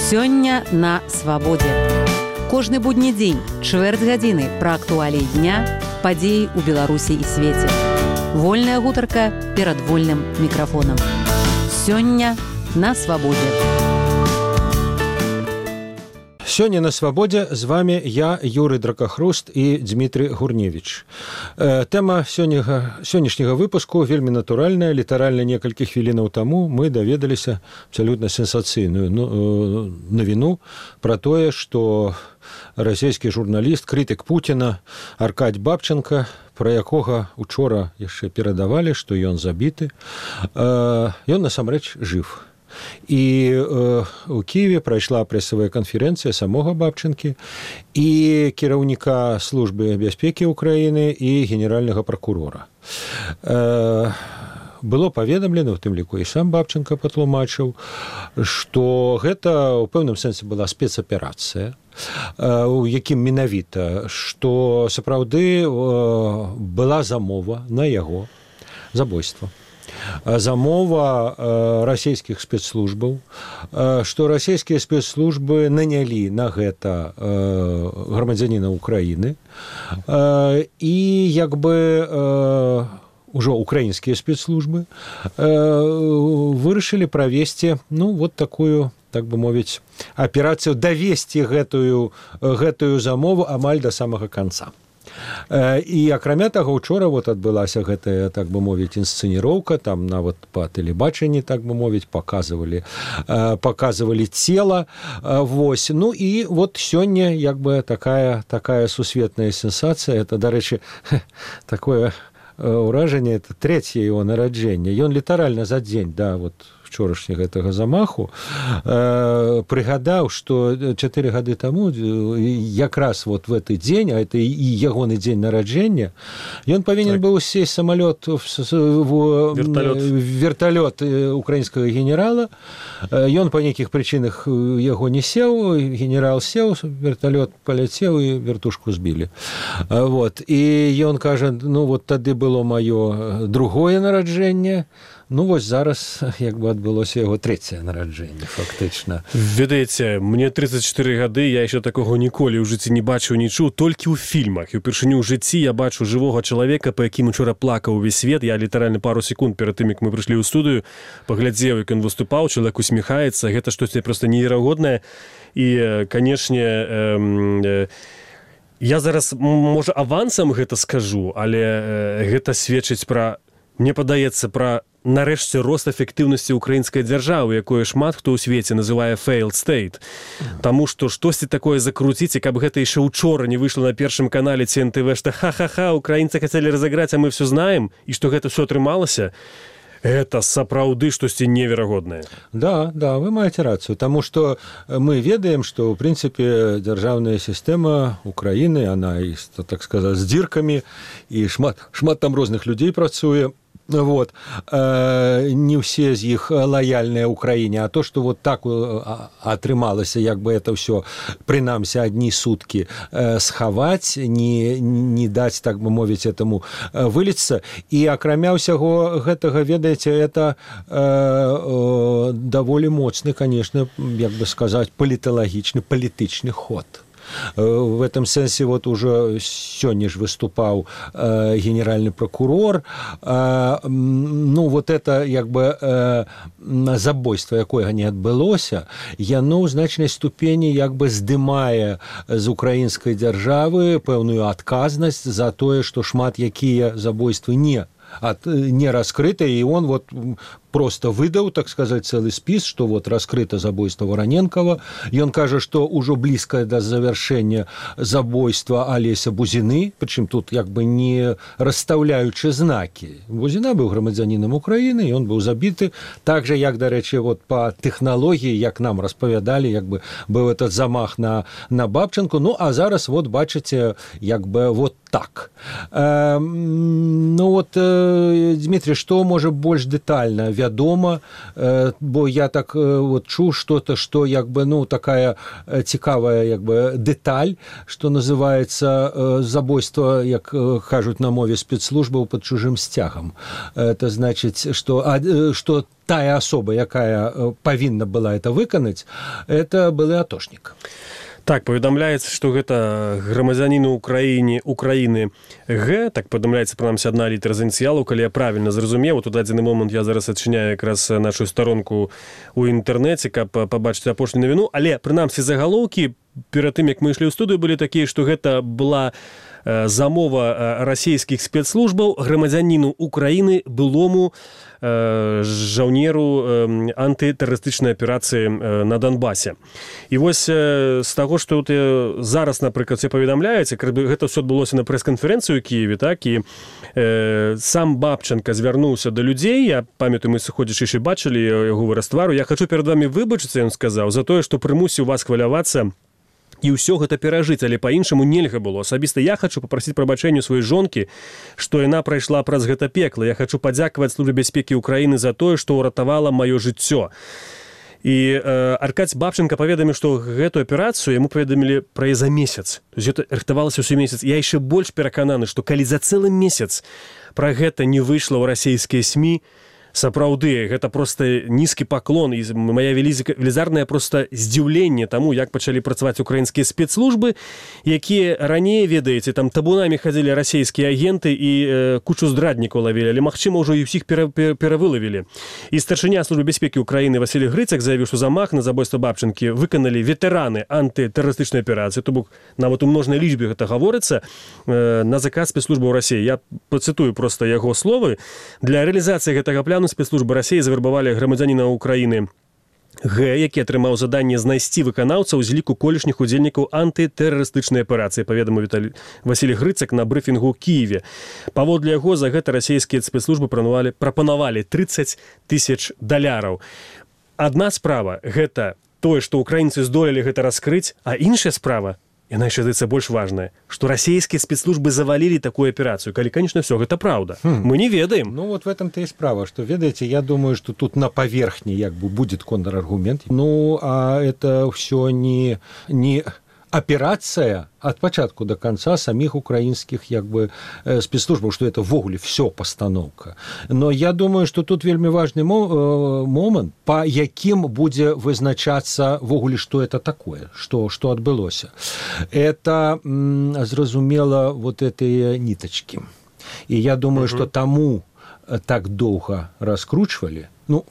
Сёння на свабодзе. Кожны будні дзень, чвэрць гадзіны пра актуаліі дня, падзеі ў Беларусі і свеце. Вольная гутарка перад вольным мікрафонам. Сёння на свабодзе. Сёння на свабодзе з вами я, Юрый Дракахруст і Дмітрый Гурневіч. Тэма сённяшняга выпуску вельмі натуральная. Літаральна некалькі хвілінаў таму мы даведаліся абсалютна сенсацыйную навіну пра тое, што расійскі журналіст, крытык Пуціна Аркадзь Бабченко, пра якога учора яшчэ перадавалі, што ён забіты, ён насамрэч жыв. І у Киеве прайшла прэсавая канферэнцыя самога Бабченкі і кіраўніка службы бяспекі Украіны і генеральнага пракурора. Было паведамлена, у тым ліку і сам Бабченко патлумачыў, што гэта ў пэўным сэнсе была спецаперацыя, у якім менавіта, што сапраўды была замова на яго забойства. Замова расійскіх спецслужбаў, што расійскія спецслужбы нанялі на гэта грамадзяніна Украіны і як бы ўжо украінскія спецслужбы вырашылі правесці, вот такую, так бы мовіць, аперацыю, давесці гэтую замову амаль да самага канца. І акрамя таго, учора адбылася гэтая, так бы мовіць, інсцэніроўка, там нават па тэлебачанні, так бы мовіць, показывалі цела. Ну і сёння як бы такая сусветная сенсацыя. Это, дарэчы, такое ўражанне, это трэцяе яго нараджэнне. Ён літаральна за дзень да вчорашняга гэтага замаху прыгадаў, што 4 гады таму якраз в гэты дзень, а это і ягоны дзень нараджэння, ён павінен быў сесть самалёт верталёт украінскага генерала. Ён па нейкіх прычынах яго не сеў, генерал сеў, верталёт паляцеў і вертушку збілі. І ён кажа, тады было маё другое нараджэнне. Зараз як бы адбылося яго трэцяе нараджэнне, фактычна. Ведаеце, мне 34 гады, я яшчэ такога ніколі ў жыцці не бачыў, не чуў, толькі ў фільмах. І ўпершыню ў жыцці я бачу жывога чалавека, па якім учора плакаў увесь свет. Я літаральна пару секунд перад тым, як мы прыйшлі ў студыю, паглядзеў, як ён выступаў, чалавек усміхаецца. Гэта штосьці проста неверагоднае. І, канешне, я зараз, можа, авансам гэта скажу, але гэта сведчыць пра, мне падаецца, пра нарэшце рост эфектыўнасці украінскай дзяржавы, якое шмат хто ў свеце называе failed state. Таму што штосьці такое закруціць, і каб гэта яшчэ учора не выйшла на першым канале ці НТВ, што ха-ха-ха, украінцы хацелі разыграць, а мы все знаем, і што гэта все атрымалася, это сапраўды штосьці неверагоднае. Да, вы маеце рацыю, таму што мы ведаем, што, ў прынцыпе, дзяржаўная сістэма Украіны, она, так сказаць, з дзіркамі, і шмат там розных людзей працуе. Не ўсе з іх лаяльныя Украіне, а то, што так атрымалася, як бы это ўсё, прынамсі, адні суткі схаваць, не даць, так бы мовіць, этому выліцца. І акрамя ўсяго гэтага, ведаеце, это даволі моцны, конечно, як бы сказаць, паліталагічны, палітычны ход. В этом сенсе уже сёння ж выступаў генеральны прокурор. Это як бы забойства, якое не адбылося, яно ў значнай ступені як бы здымае з украінскай дзяржавы пэўную адказнасць за тое, што шмат якія забойствы не раскрытыя, і он просто выдаў, так сказать, целый спіс, што раскрыта забойство Вороненкова. Ён кажа, што ўжо блізка да завяршэння забойства Алеся Бузіны, прычым тут як бы не расстаўляючы знакі. Бузіна быў грамадзянінам Украіны, ён быў забіты, так же, як, дарэчы, па тэхналогіі, як нам распавядалі, як бы быў этот замах на Бабченко. А зараз, бачыце, як бы так. Ну вот, Дмитрий, што можа больш дэтальна вядома, бо я так вот чуў что-то, што як бы, ну, такая цікавая як бы дэталь, што называецца забойство, як кажуць на мове спецслужбаў, пад чужым сцягам. Это значыць, што тая асоба, якая павінна была это выканаць, это былы атошнік. Так, паведамляецца, што гэта грамадзянін Украіны Г, так паведамляецца, прынамсі, адна літара з ініцыялаў, калі я правільна зразумеў. Тут дадзены момант я зараз адчыняю якраз нашу старонку ў інтэрнэце, каб пабачыць апошнюю навіну, але, прынамсі, загалоўкі перад тым, як мы ішлі ў студыю, былі такія, што гэта была замова расійскіх спецслужбаў грамадзяніну Украіны, былому жаўнеру антытэрарыстычнай аперацыі на Донбасе. І вось з таго, што зараз, напрыклад, все паведамляеце, гэта ўсё адбылося на прэс-канферэнцыю ў Кіеве, так, і сам Бабченко звярнуўся да людзей, я памятаю, мы сыходзячы бачылі яго выраз твару, я хачу перад вамі выбачыцца, ён сказаў, за тое, што прымусіў вас хвалявацца і ўсё гэта перажыць, але па-іншаму нельга было. Асабіста я хачу папрасіць прабачэння сваёй жонкі, што яна прайшла праз гэта пекла. Я хачу падзякаваць Службе бяспекі Украіны за тое, што ўратавала маё жыццё. І Аркадзь Бабченко паведаміў, што гэтую аперацыю яму паведамілі пра за месяц. То есть гэта рыхтавалася ўсё месяц. Я яшчэ больш перакананы, што калі за цэлы месяц пра гэта не выйшла ў расійскія СМІ, сапраўды, гэта проста нізкі паклон і мая велізарнае проста здзіўленне таму, як пачалі працаваць украінскія спецслужбы, якія раней, ведаеце, там табунамі хадзілі расійскія агенты і кучу здраднікаў лавілі, але, магчыма, ўжо і ўсіх перавылавілі. І старшыня Службы бяспекі Украіны Васіль Грыцак заявіў, што замах на забойства Бабченкі выканалі ветэраны антытэрарыстычнай аперацыі, то бок нават у множнай лічбе гэта гаворыцца, на заказ спецслужбаў Расіі. Я пацытую проста яго словы. Для рэалізацыі гэтага пляну спецслужбы Расіі завербавалі грамадзяніна Украіны Г, які атрымаў заданне знайсці выканаўцаў з ліку колішніх удзельнікаў антытэрарыстычнай аперацыі, паведаміў Васіль Грыцак на брыфінгу ў Кіеве. Паводле яго, за гэта расійскія спецслужбы прапанавалі $30,000. Адна справа – гэта тое, што украінцы здолелі гэта раскрыць, а іншая справа – яна яшчэ, здаецца, больш важная, што расійскія спецслужбы завалілі такую аперацыю, калі, конечно, все гэта праўда. Мы не ведаем. Ну, вот в этом-то и справа, что, ведаете, я думаю, что тут на поверхне, як бы, будет контраргумент. Ну, а это все не операция от початку до конца самих украинских як бы спецслужбаў, что это ввогуле все постановка. Но я думаю, что тут вельмі важный момент, по яким будзе вызначацца ввогуле, что это такое, что адбылося. Это, зразумела, вот эти ниточки. И я думаю, что тому так доўга раскручивали, ну,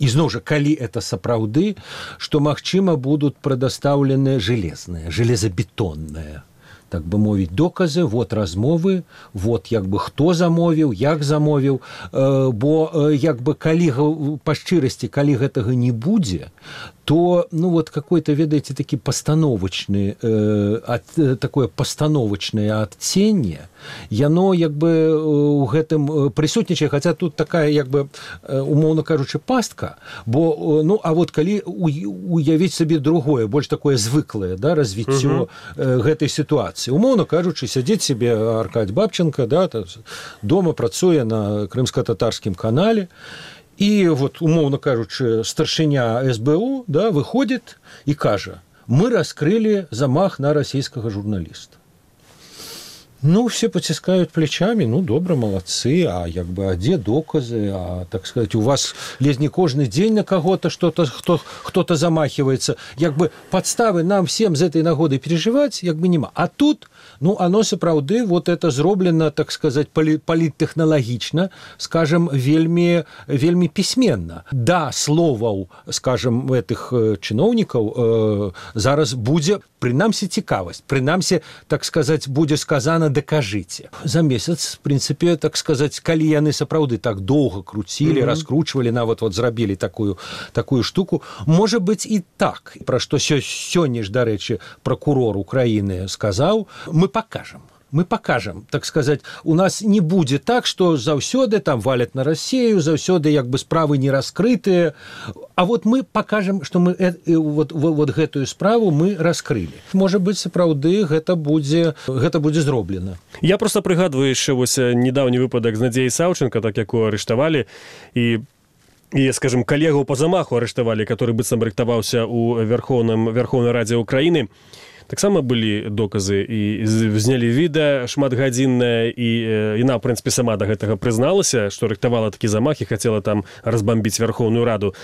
ізноў жа, калі это сапраўды, што, магчыма, будуць прадастаўлены железабетонныя, так бы мовіць, доказы, вот размовы, вот як бы хто замовіў, як замовіў, бо як бы калі па шчырасці, калі гэтага не будзе, то, ну, вот какой-то, ведаете, такі пастановачны, такое пастановачнае адценне, яно, як бы, у гэтым прысутнічае, хаця тут такая, як бы, умоўна кажучы, пастка, бо, ну, а вот калі уявіць сабе другое, больш такое звыклае, да, развіццё гэтай сітуацыі. Умоўна кажучы, сядзіць себе Аркадзь Бабченко, да, дома працуе на крымска-татарскім канале, и вот, умовно кажучи, старшыня СБУ, да, выходит и кажа, мы раскрыли замах на российского журналиста. Ну, все потискают плечами, ну, добро, молодцы, а як бы, а где доказы, а, так сказать, у вас лезь не кожный день на кого-то что-то, кто-то замахивается, як бы, подставы нам всем з этой нагоды переживать, як бы, нема. А тут, ну, оно сапраўды, вот это зроблено, так сказать, политтехналагічна, скажем, вельмі пісьменна. Да, словаў, скажем, этих чыноўнікаў зараз будзе, прынамсі, цікавасць, прынамсі, так сказать, будзе сказано докажите. За месяц, в принципе, так сказать, калі яны сапраўды так доўга круцілі, раскручивали, нават вот зрабілі такую штуку, может быть и так, про што сёння ж, дарэчы, прокурор Украины сказаў, мы покажем. мы покажем, так сказать, у нас не будет так, что заўсёды там валят на Россию, заўсёды як бы справы не раскрытые, а вот мы покажем, что мы вот гэтую справу мы раскрыли. Может быть, сапраўды гэта будзе зроблена. Я просто прыгадваю яшчэ вось недаўні выпадак з Надзеяй Саўченко, так якую арыштавалі, і скажем, калегу по замаху арыштавалі, который быццам рыхтаваўся ў Верховнай Радзе Украіны. Таксама былі доказы і знялі відэа шматгадзіннае, і яна, в прынцыпе, сама да гэтага прызналася, што рыхтавала такі замах і хацела там разбамбіць Верховную Раду.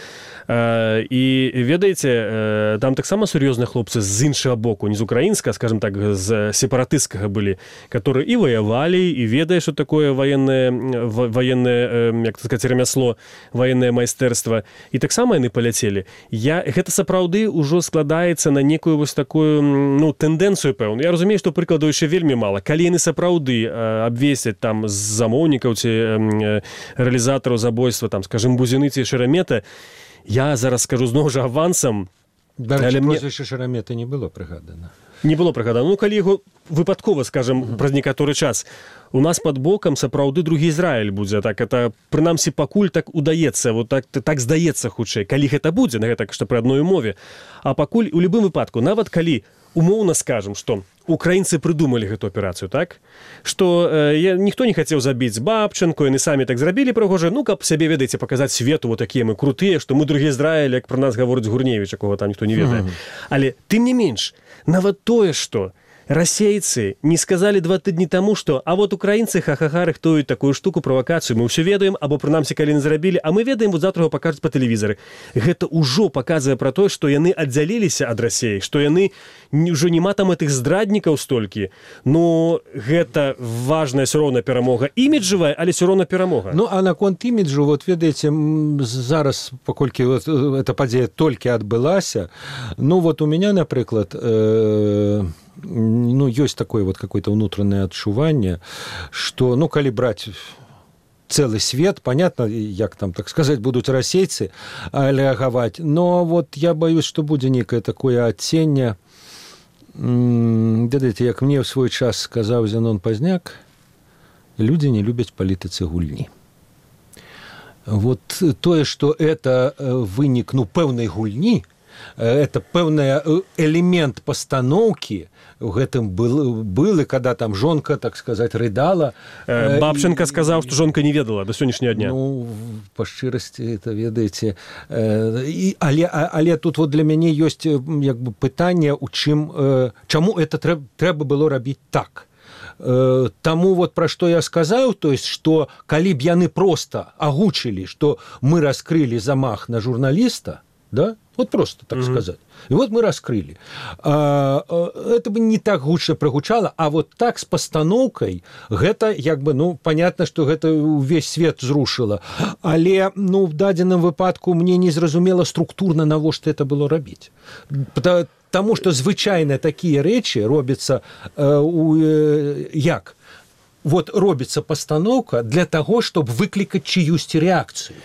І ведаеце, там таксама сур'ёзныя хлопцы з іншага боку, не з украінска, скажем так, з сепаратысцкага былі, которые і ваявалі, і ведае, што такое военное, як сказаць, ремясло, военное майстэрства. І таксама яны паляцелі. Гэта сапраўды ўжо складаецца на некую вось такую тэндэнцыю пэўную. Я разумею, што прыкладаў яшчэ вельмі мала. Калі яны сапраўды абвесяць там з замоўнікаў ці рэалізатараў забойства, там, скажем, Бузіны ці Шерамета, я зараз скажу зноў жа авансам. Але прозвішча Шерамета не было прыгадана. Не было прыгадана. Ну, калі яго выпадкова, скажем, праз некаторы час, у нас пад бокам сапраўды другі Ізраіль будзе. Так, это, прынамсі, пакуль так удаецца, вот так здаецца хутчэй. Калі гэта будзе, на гэта, што пры адной умове. А пакуль, у любым выпадку, нават калі умоўна скажем, што украінцы прыдумалі гэту аперацыю, так? Што ніхто не хацеў забіць Бабченко, яны самі так зрабілі прыгожа, ну, каб сябе, ведаеце, паказаць свету, вот такія мы крутыя, што мы другі Ізраіль, як пра нас гаворыць Гурневіч, якога там ніхто не ведае. Але, тым не менш, нават тое, што расейцы не сказалі 2 тыдні таму, што а вот украінцы ха-ха-ха рыхтуюць такую штуку, правакацыю, мы ўсё ведаем, або прынамсі калі не зрабілі, а мы ведаем, вот завтра яго пакажуць па тэлевізары. Гэта ўжо паказвае пра тое, што яны аддзяліліся ад Расіі, што яны ўжо няма там гэтых здраднікаў столькі. Ну, гэта важная ўсё роўна перамога. Іміджавая, але ўсё роўна перамога. Ну, а наконт іміджу, вот ведаеце, зараз, паколькі вот эта падзея толькі адбылася, ну, вот у меня, напрыклад, ну, ёсць такое вот какое-то внутреннее адчуванне, что, ну, калі браць целый свет, понятно, як там, так сказать, будут расейцы рэагаваць, но вот я боюсь, что будзе некое такое адценне. Ведаеце, як мне в свой час сказаў Зенон Пазняк, люди не любяць палітыцы гульні. Вот тое, что это вынік, ну, пэўнай гульні, это пэўны элемент пастаноўкі, у гэтым был, и когда там жонка, так сказать, рыдала. Бабченко сказаў, што жонка не ведала до сённяшняга дня. Ну, па шчырасці, это ведаеце. Але тут вот для мяне ёсць як бы пытанне, у чым, чаму это трэба было рабіць так. Таму вот пра што я сказаў, то есть, што калі б яны проста агучылі, што мы раскрылі замах на журналіста, да? Вот просто так сказать. И вот мы раскрыли. Это бы не так гучно прогучало, а вот так с постановкой, гэта, як бы, ну, понятно, что гэта весь свет зрушило. Але, ну, в дадзеным выпадку мне не зразумела структурно, навошта это было рабіць. Потому что звычайно такие рэчы робятся як? Вот робится постановка для того, чтобы выкликать чьюсь реакцию.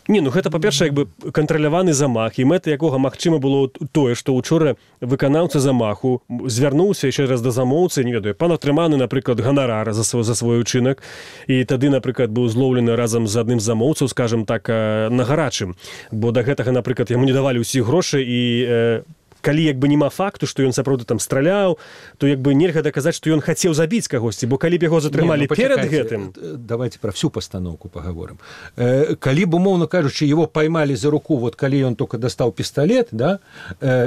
Не, ну гэта, па-першае, як бы кантраляваны замах, і мэта якога, магчыма, было тое, што учора выканаўца замаху звярнуўся яшчэ раз да замоўцы, не ведаю, пан атрыманы, напрыклад, ганарар за свой учынак, і тады, напрыклад, быў злоўлены разам з адным з замоўцаў, скажам так, на гарачым, бо да гэтага, напрыклад, яму не давалі ўсіх грошай, і калі як бы няма факту, што ён сапраўды там страляў, то як бы нельга даказаць, што ён хацеў забіць кагосьці, бо калі б яго затрымалі перед гэтым... Давайте про всю постановку поговорим. Калі б, умовно кажучи, его поймали за руку, вот калі он только достал пистолет, да,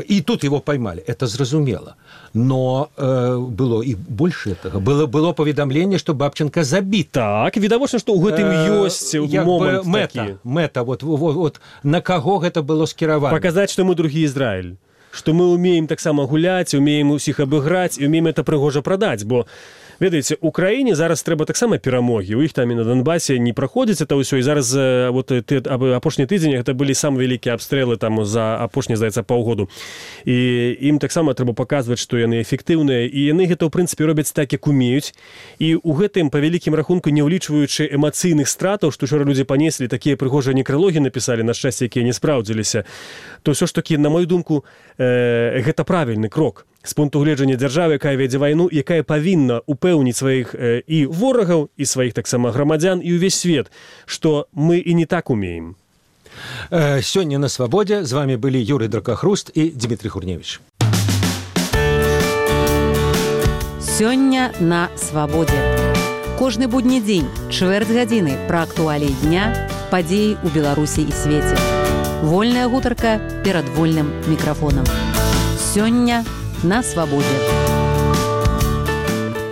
и тут его поймали, это зразумела. Но было и больше этого. Было поведомление, что Бабченко забит. Так, відавочна, што ў гэтым ёсць момант такі. Мэта, вот на каго гэта было скіравана. Паказаць, што мы другі Ізраіль. Што мы умеем таксама гуляць, умеем усіх абыграць і умеем это прыгожа прадаць, бо ведаеце, у краіне зараз трэба таксама перамогі. У іх там і на Донбасе не праходзіць это ўсё, і зараз вот апошні тыдзень гэта былі самыя вялікія абстрэлы там за апошні, здаецца, паўгоду. І ім таксама трэба паказваць, што яны эфектыўныя, і яны гэта ў прынцыпе робяць так, як умеюць. І ў гэтым па вялікім рахунку, не ўлічваючы эмацыйных стратаў, што учора людзі панеслі, такія прыгожыя некралогі напісалі, на шчасце, якія не спраўдзіліся, то ўсё ж такі, на мою думку, гэта правільны крок. з пункту гледжання дзяржавы, якая вядзе вайну, якая павінна упэўніць сваіх і ворагаў, і сваіх таксама грамадзян, і ўвесь свет, што мы і не так умеем. Сёння на Свабодзе з вами былі Юрый Дракахруст і Дмітрий Гурневіч. Сёння на Свабодзе. Кожны будні дзень, чвэрць гадзіны пра актуаліі дня, падзеі ў Беларусі і свеце. Вольная гутарка перад вольным мікрафонам. Сёння на Свабодзе.